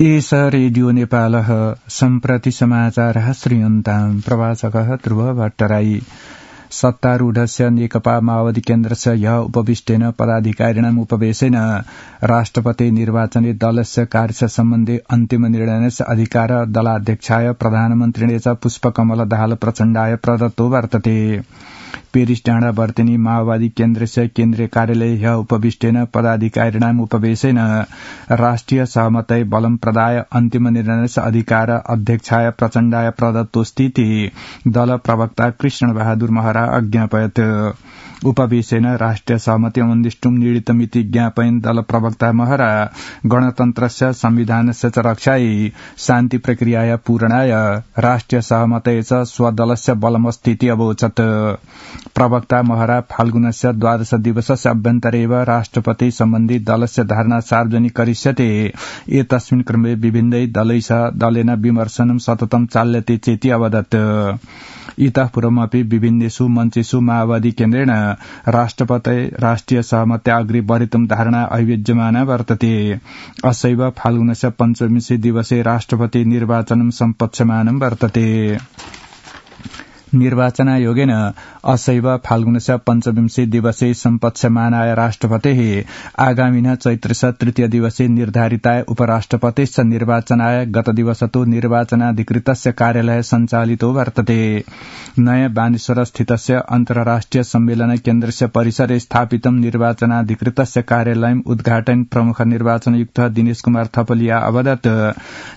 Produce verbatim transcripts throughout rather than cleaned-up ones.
एष रेडियो नेपालः सम्प्रति समाचारः श्रूयन्ताम् प्रवाचकः ध्रुव भट्टराई। सत्तारूढस्य नेकपा माओवादी केन्द्रस्य ह्य उपविष्टेन पदाधिकारिणाम् उपवेशेन राष्ट्रपति निर्वाचने दलस्य कार्य सम्बन्धी अन्तिम निर्णयस्य अधिकार दलाध्यक्षाय प्रधानमन्त्रिणे च पुष्पकमल दाहाल प्रचण्डाय प्रदत्तो वर्तते। पेरिस डाँडा वर्तनी माओवादी केन्द्रस्य केन्द्रीय कार्यालय ह्य उपविष्टेन पदाधिकारिणाम् उपवेशेन राष्ट्रिय सहमतै बलं प्रदाय अन्तिम निर्णयस्य अधिकार अध्यक्षाय प्रचण्डाय प्रदत्तोस्तीति दल प्रवक्ता कृष्ण बहादुर महरा अज्ञापयत्। उपवेशेन राष्ट्रिय सहमति अमन्दिष्टुम् नीडितमिति ज्ञापयन् दल प्रवक्ता महरा गणतन्त्रस्य संविधानस्य च रक्षायै शान्ति प्रक्रियाया पूरणाय राष्ट्रिय सहमतये च स्वदलस्य बलमस्तीति अवोचत्। प्रवक्ता महरा फाल्गुनस्य द्वादश दिवसस्य अभ्यन्तरे एव राष्ट्रपति सम्बन्धी दलस्य धारणा सार्वजनिक करिष्यते। एतस्मिन् क्रमे विभिन्नै दलैः दलेन विमर्शनं सततं चाल्यते चेति अवदत्। इतः पूर्वमपि विभिन्नेषु मञ्चेषु माओवादी केन्द्रेण राष्ट्रपते राष्ट्रिय सहमत्या अग्रे बढ़ितुं धारणा अभिव्यज्यमाना वर्तते। असैव फाल्गुनस्य पञ्चविंशे दिवसे राष्ट्रपति निर्वाचनं सम्पत्स्यमानं वर्तते। निर्वाचनायोगेन असैव फाल्गुनस्य पञ्चविंशे दिवसे सम्पत्स्यमानाय राष्ट्रपतेः आगामिनः चैत्रस्य तृतीय दिवसे निर्धारिताय उपराष्ट्रपतेश्च निर्वाचनाय गत दिवसतो निर्वाचनाधिकृतस्य कार्यालय सञ्चालितो वर्तते। नयाँ बानेश्वर स्थितस्य अन्तर्राष्ट्रिय सम्मेलन केन्द्रस्य परिसरे स्थापितं निर्वाचनाधिकृतस्य कार्यालयम् उद्घाटन प्रमुख निर्वाचनयुक्त दिनेश कुमार थपलिया अवदत्।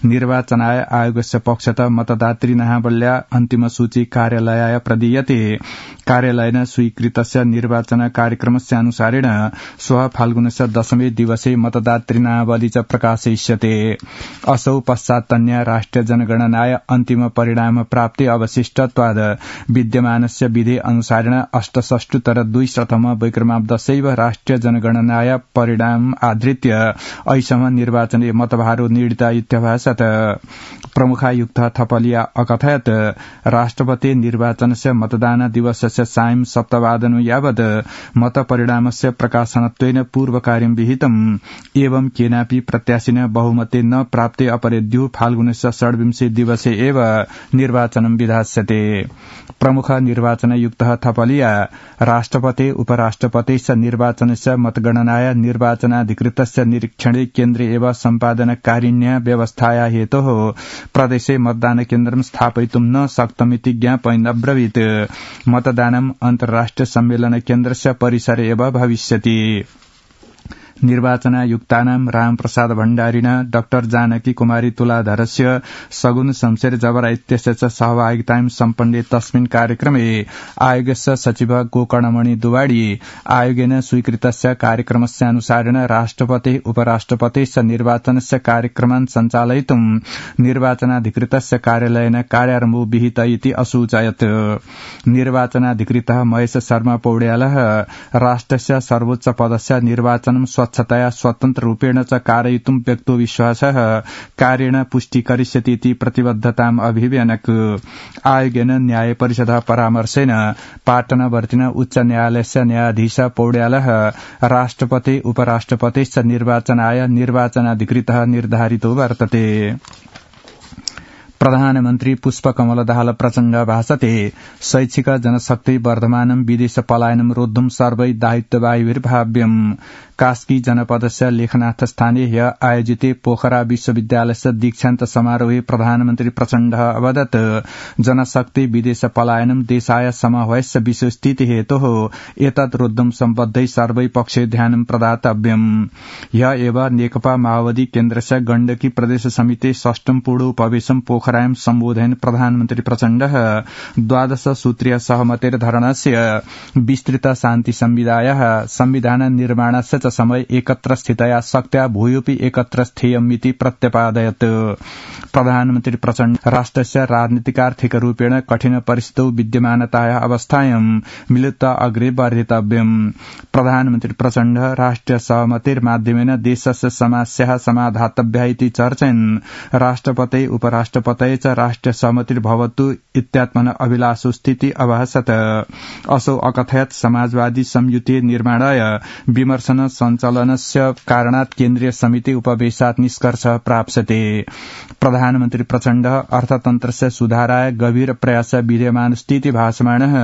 निर्वाचनाय आयोगस्य पक्षतः मतदातृ नामावल्या अन्तिम सूची कार्यालय कार्यालयाय प्रदीयते। कार्यालयेन स्वीकृतस्य निर्वाचन कार्यक्रमस्य अनुसारेण श्वः फाल्गुनस्य दशमे दिवसे मतदातृनामावली च प्रकाशयिष्यते। असौ पश्चात्तन्या राष्ट्रिय जनगणनाय अन्तिम परिणाम प्राप्ति अवशिष्टत्वाद विद्यमानस्य विधि अनुसारेण अष्टषष्टुतर दुई शतम वैक्रमाब्दशैव राष्ट्रिय जनगणनाय परिणाम आधृत्य ऐसम निर्वाचने मतभारो नीडिता इत्यभाषत। प्रमुखायुक्त थपलिया अकथयत् राष्ट्रपति निर्वाचनस्य मतदान दिवसस्य सायं सप्तवादन यावत् मतपरिणामस्य प्रकाशनत्वेन पूर्वकार्यं विहितम्। एवं केनापि प्रत्याशिन बहुमते न प्राप्ते अपरेद्युः फाल्गुनस्य षड्विंशे दिवसे एव निर्वाचनं विधास्यते। प्रमुख निर्वाचनयुक्त थपलिया राष्ट्रपति उपराष्ट्रपतिश्च निर्वाचनस्य मतगणनाय निर्वाचनाधिकृतस्य निरीक्षणे केन्द्रे एव सम्पादनकारिण्या व्यवस्थाया हेतोः प्रदेशे मतदान केन्द्रं स्थापयितुं न शक्तमिति ज्ञापयन् अब्रवीत्। मतदानम् अन्तर्राष्ट्रिय सम्मेलन केन्द्रस्य परिसरे एव भविष्यति। निर्वाचनायुक्तानां रामप्रसाद भण्डारिणा डाक्टर जानकी कुमारी तुलाधरस्य सगुन शमशेर जबरा इत्यस्य च सहभागितां सम्पन्ने तस्मिन् कार्यक्रमे आयोगस्य सचिव गोकर्णमणि दुवाडी आयोगेन स्वीकृतस्य कार्यक्रमस्य अनुसारेण राष्ट्रपति उपराष्ट्रपतिश्च निर्वाचनस्य कार्यक्रमान् सञ्चालयितुं निर्वाचनाधिकृतस्य कार्यालयेन कार्यारम्भो विहित इति असूचयत्। निर्वाचनाधिकृतः महेश शर्मा पौड्यालः राष्ट्रस्य सर्वोच्च पदस्य निर्वाचनं स्वच्छतया स्वतन्त्र रूपेण च कारयितुं व्यक्तो विश्वासः कार्येण पुष्टि करिष्यति इति प्रतिबद्धताम् अभिव्यनक्। आयोगेन न्याय परिषदः परामर्शेन पाटनवर्तिन उच्च न्यायालयस्य न्यायाधीश पौड्यालः राष्ट्रपति उपराष्ट्रपतिश्च निर्वाचनाय निर्वाचनाधिकृतः निर्धारितो वर्तते। प्रधानमन्त्री पुष्पकमल दाहाल प्रचण्ड भाषते शैक्षिक जनशक्ति वर्धमानं विदेश पलायनं रोद्धुं सर्वै दायित्ववायुर्भाव्यम्। कास्की जनपदस्य लेखनाथ स्थाने ह्य आयोजिते पोखरा विश्वविद्यालयस्य दीक्षान्त समारोहे प्रधानमन्त्री प्रचण्डः अवदत्। जनशक्ति विदेश पलायनं देशाय समवयस्य विश्वस्थिति हेतोः एतत् रोद्धुं सम्बद्धै सर्वै पक्षे ध्यानं प्रदातव्यम्। ह्य एव नेकपा माओवादी केन्द्रस्य गण्डकी प्रदेश समिति षष्ठम पूर्व उपवेशनं पोखरायां सम्बोधयन् प्रधानमन्त्री प्रचण्डः द्वादश सूत्रीय सहमतेर धरणस्य विस्तृत शान्ति संविधायः संविधान निर्माणस्य समय एकत्र स्थितया शक्त्या भूयोऽपि एकत्र स्थेयमिति प्रत्यपादयत्। प्रधानमन्त्री प्रचण्ड राष्ट्रस्य राजनीतिकार्थिकरूपेण कठिन परिस्थितौ विद्यमानताया अवस्थायां मिलित्वा अग्रे वर्धितव्यम्। प्रधानमन्त्री प्रचण्ड राष्ट्रिय सहमतिर्माध्यमेन देशस्य समस्याः समाधातव्या इति चर्चयन् राष्ट्रपते उपराष्ट्रपते च राष्ट्रिय सहमतिर्भवतु इत्यात्मन अभिलाषो स्थिति अभासत। असौ अकथयत् समाजवादी संयुति निर्माणाय विमर्शन सञ्चालनस्य कारणात् केन्द्रीय समिति उपवेशात् निष्कर्ष प्राप्स्यते। प्रधानमन्त्री प्रचण्ड अर्थतन्त्रस्य सुधाराय गभीर प्रयास विद्यमान स्थिति भासमानः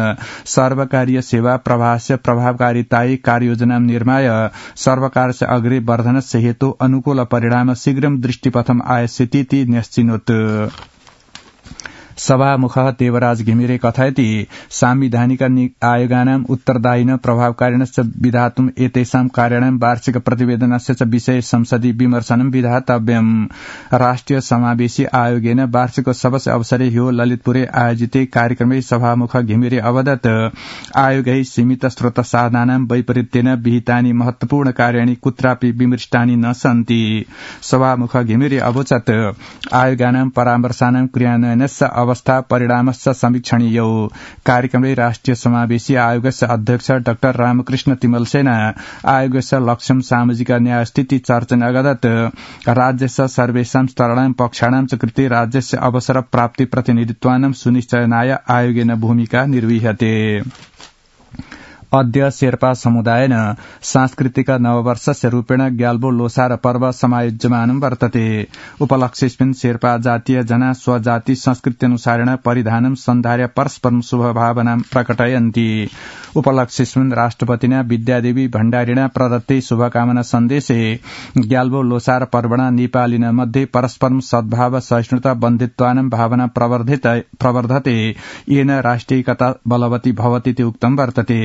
सर्वकारीय सेवा प्रवाहस्य प्रभावकारितायै कार्ययोजना निर्माय सर्वकारस्य अग्रे वर्धनस्य हेतु अनुकूल परिणाम शीघ्रं दृष्टिपथम् आयास्यतीति न्यश्चिनोत्। सभामुख देवराज घिमिरे कथयति सांविधानिक आयोगानाम् उत्तरदायिन प्रभावकारिणश्च विधातुम् एतेषां कार्याणां वार्षिक प्रतिवेदनस्य च विषये संसदि विमर्शनं विधातव्यम्। राष्ट्रिय समावेशी आयोगेन वार्षिकोत्सवस्य अवसरे ह्यो ललितपुरे आयोजिते कार्यक्रमे सभामुख घिमिरे अवदत् आयोगै सीमित स्रोत साधनानां वैपरीत्येन विहितानि महत्वपूर्ण कार्याणि कुत्रापि विमृष्टानि न सन्ति। सभामुख घिमिरे अवोचत् आयोगानां परामर्शानां क्रियान्वयनस्य अवस्था परिणामश्च समीक्षणीयौ। कार्यक्रमे राष्ट्रिय समावेशी आयोगस्य अध्यक्ष डाक्टर रामकृष्ण तिमलसेना आयोगस्य लक्ष्यं सामाजिक न्याय स्थिति चर्चन अगदत् राज्यस्य सर्वेषां स्तराणां पक्षाणां च कृते राज्यस्य अवसर प्राप्ति प्रतिनिधित्वानां सुनिश्चयनाय आयोगेन भूमिका निर्वह्यते। अद्य शेर्पा समुदायेन सांस्कृतिक नववर्षस्य रूपेण ग्याल्बो लोसार पर्व समायोज्यमानं वर्तते। उपलक्ष्येऽस्मिन् शेर्पा जातीय जना स्वजाति संस्कृत्यनुसारेण परिधानं सन्धार्य परस्परं शुभभावनां प्रकटयन्ति। उपलक्ष्येऽस्मिन् राष्ट्रपतिना विद्यादेवी भण्डारिणा प्रदत्ते शुभकामना सन्देशे ग्याल्बो लोसार पर्वणा नेपालिन मध्ये परस्परं सद्भाव सहिष्णुता बन्धुत्वानां भावना प्रवर्धते येन राष्ट्रियैकता बलवती भवतीति उक्तं वर्तते।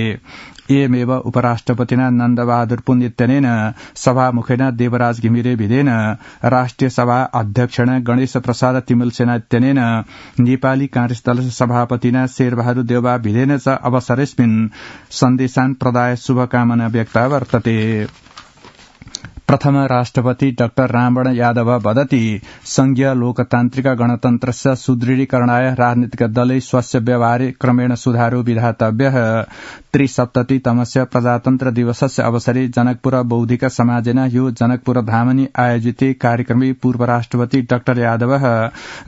एवमेव उपराष्ट्रपतिना नन्दबहादुर पुण्यत्यनेन सभामुखेन देवराज घिमिरे भिदेन राष्ट्रिय सभा अध्यक्षेण गणेश प्रसाद तिमलसेना इत्यनेन नेपाली कांग्रेस दलस्य सभापतिना शेरबहादुर देउबा भिदेन च अवसरेऽस्मिन् सन्देशान् प्रदाय शुभकामना व्यक्ता वर्तते। प्रथम राष्ट्रपति डाक्टर रामवरण यादव वदति संघीय लोकतान्त्रिक गणतन्त्रस्य सुदृढीकरणाय राजनीतिक दलै स्वस्य व्यवहारे क्रमेण सुधारो विधातव्यः। त्रिसप्ततितमस्य प्रजातन्त्र दिवसस्य अवसरे जनकपुर बौद्धिक समाजेन ह्यो जनकपुर धामनि आयोजिते कार्यक्रमे पूर्व राष्ट्रपति डाक्टर यादवः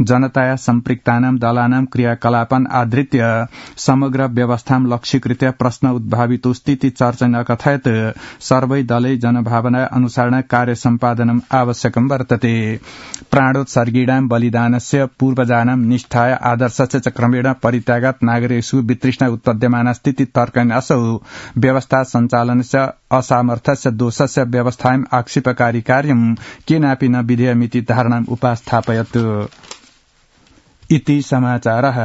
जनताया सम्पृक्तानां दलानां क्रियाकलापान् आधृत्य समग्र व्यवस्थां लक्ष्यीकृत्य प्रश्न उद्भावितोऽस्तीति चर्चन अकथयत् सर्वै दलै जनभावना अनुसार कार्य सम्पादनम् आवश्यकं वर्तते। प्राणोत्सर्गीणां बलिदानस्य पूर्वजानां निष्ठाय आदर्शस्य च क्रमेण परित्यागात् नागरिकेषु वितृष्णा उत्पद्यमानास्तीति तर्कयन् असौ व्यवस्था सञ्चालनस्य असामर्थ्यस्य दोषस्य व्यवस्थायाम् आक्षेपकारी कार्यं केनापि न विधेयमिति धारणाम् उपास्थापयत्। इति समाचारः।